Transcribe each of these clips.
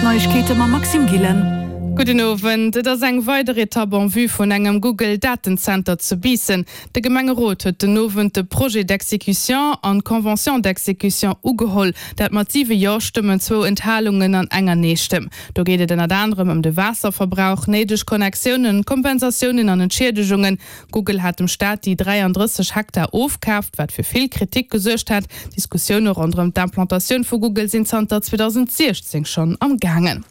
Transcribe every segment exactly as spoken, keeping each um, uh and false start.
Neiegkeete mam Maxime Gillen. Gudden Owend. Et ass eng weider Etapp en vue vun engem Google-Datenzenter zu Biissen. De Gemengerot huet den Owend de Projet d'exécution an d'Convention d'exécution ugeholl. Dat mat siwe Jo-Stëmmen, zwou Enthalungen an enger Nee-Stëmm. Do geet et ënnert anerem ëm de Waasserverbrauch, néideg Connectiounen, Kompensatiounen an Entschiedegungen. Google hat dem Staat déi dräiandrësseg Hektar ofkaaft, wat fir vill Kritik gesuergt hat. D'Diskussioune ronderëm d'Implantatioun vu Google sinn zanter zweedausendsiechzéng schonn am gaangen.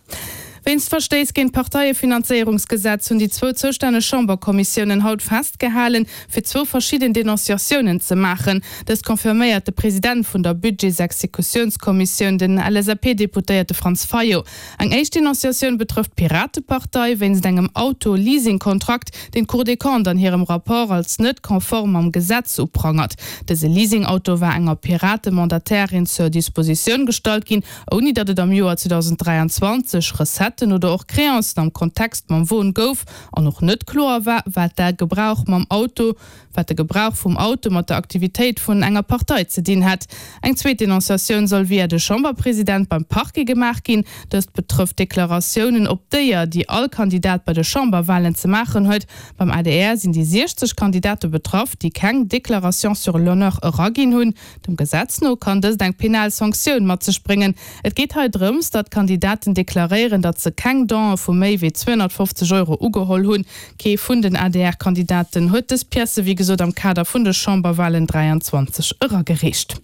Wéinst Verstéiss géint d'Parteiefinanzéierungsgesetz hunn déi zwou zoustänneg Chamberkommissiounen haut festgehalen, fir zwou verschidden Denonciatiounen ze maachen. Dëst confirméiert de President vun der Budgetsexekutiounskommissioun, den L S A P-Deputéierte Franz Fayot. Eng éischt Denonciatioun betrëfft d'Piratepartei wéinst engem Auto-Leasing-Kontrakt, deen d'Cour des Comptes an hirem Rapport als net konform mam Gesetz uprangert. Dëse Leasing-Auto war enger Pirate-Mandatairin zur Dispositioun gestallt ginn, ouni datt et am Joer zweedausend dräianzwanzeg Recetten oder och Créancen am Kontext mam Won gouf an och net kloer war, wat de Gebrauch mam Auto wat de Gebrauch vum Auto mat der Aktivitéit vun enger Partei ze dinn hätt. Eng zweet Denonciatioun soll via de Chamberpresident beim Parquet gemaach ginn. Dëst betrëfft Deklaratiounen op Déier, déi all Kandidat bei de Chamberwalen ze maachen huet. Beim A D R sinn déi siechzeg Kandidate betraff, déi keng Déclaration sur l'honneur eraginn hunn. Dem Gesetz no kann dëst eng penal Sanktioun mat sech bréngen. Et geet hei drëms, datt d'Kandidaten deklaréieren, datt se keng Donë vu méi wéi zweehonnertfofzeg Euro ugeholl hunn. Kee vun den A D R-Kandidaten huet dës Piècë wéi gesot am Kader vun de Chamberwalen dräianzwanzeg eragereecht.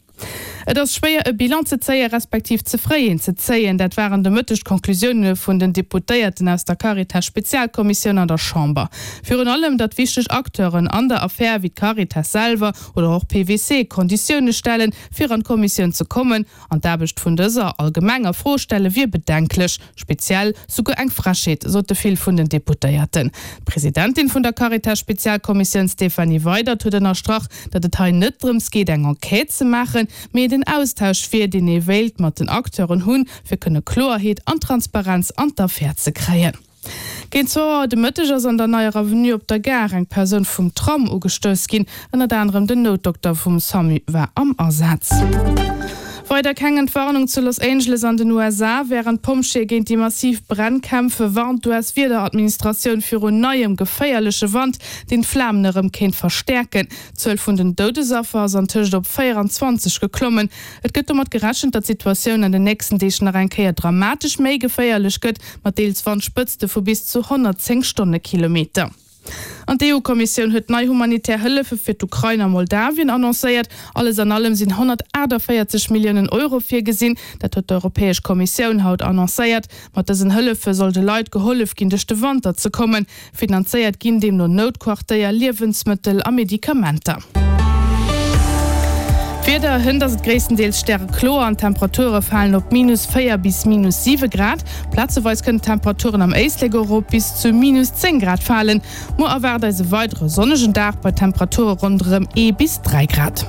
Et ass schwéier e Bilan ze zéien, respektiv ze fréi een ze zéien. Dat waren de Mëtteg d'Conclusioune vun den Deputéierten aus der Caritas-Spezialkommissioun an der Chamber. Virun allem, datt wichteg Acteuren an der Affär wéi d'Caritas selwer oder och P W C Konditioune stellen, fir an d'Kommissioun ze kommen, an d'Aarbecht vun dëser allgemeng a Fro stelle wier bedenklech, speziell souguer eng Frechheet, sote vill vun den Deputéierten. D'Presidentin vun der Caritas-Spezialkommissioun Stéphanie Weydert huet ënnerstrach, datt et hei net drëms geet eng Enquête ze maachen, mee et en Austausch wier, deen ee wéilt mat den Acteuren hunn, fir kënne Kloerheet an Transparenz an d'Affär ze kréien. Géint zwou Auer de Mëtteg ass an der Neier Avenue op der Gare eng Persoun vum Tram ugestouss ginn. Ënnert anerem den Noutdokter vum SAMU war am Asaz. Weider keng Entwarnung zu Los Angeles an den U S A. Wärend d'Pompjeeë géint déi massiv Bränn kämpfen, warnt d'U S-Wiederadministratioun virun neiem geféierleche Wand, deen d'Flamen erëm kéint verstäerken. D'Zuel vun den Doudesaffer ass antëscht op véieranzwanzeg geklommen. Et gëtt domat gerechent, datt d'Situatioun an den nächsten Deeg nach eng Kéier dramatesch méi geféierlech gëtt, mat deels Wandspëtzte vu bis zu honnertzéng Stonnekilometer. An d'E U-Kommissioun huet nei humanitär Hëllefe fir d'Ukrain a Moldawien annoncéiert. Alles an allem sinn honnertaachtavéierzeg Milliounen Euro virgesinn, dat huet d'Europäesch Kommissioun haut annoncéiert. Mat dësen Hëllefe soll de Leit gehollef ginn, duerch de Wanter ze kommen. Finanzéiert ginn deemno Noutquartéier, Liewensmëttel a Medikamenter. D'Wieder, Hënt ass et gréisstendeels stärekloer an d'Temperature falen op minus véier bis minus siwe Grad. Plazeweis kënnen d'Temperaturen am Éislek och op bis zu minus zéng Grad falen. Muer erwaart eis e weidere sonnegen Dag bei Temperature ronderëm ee bis dräi Grad.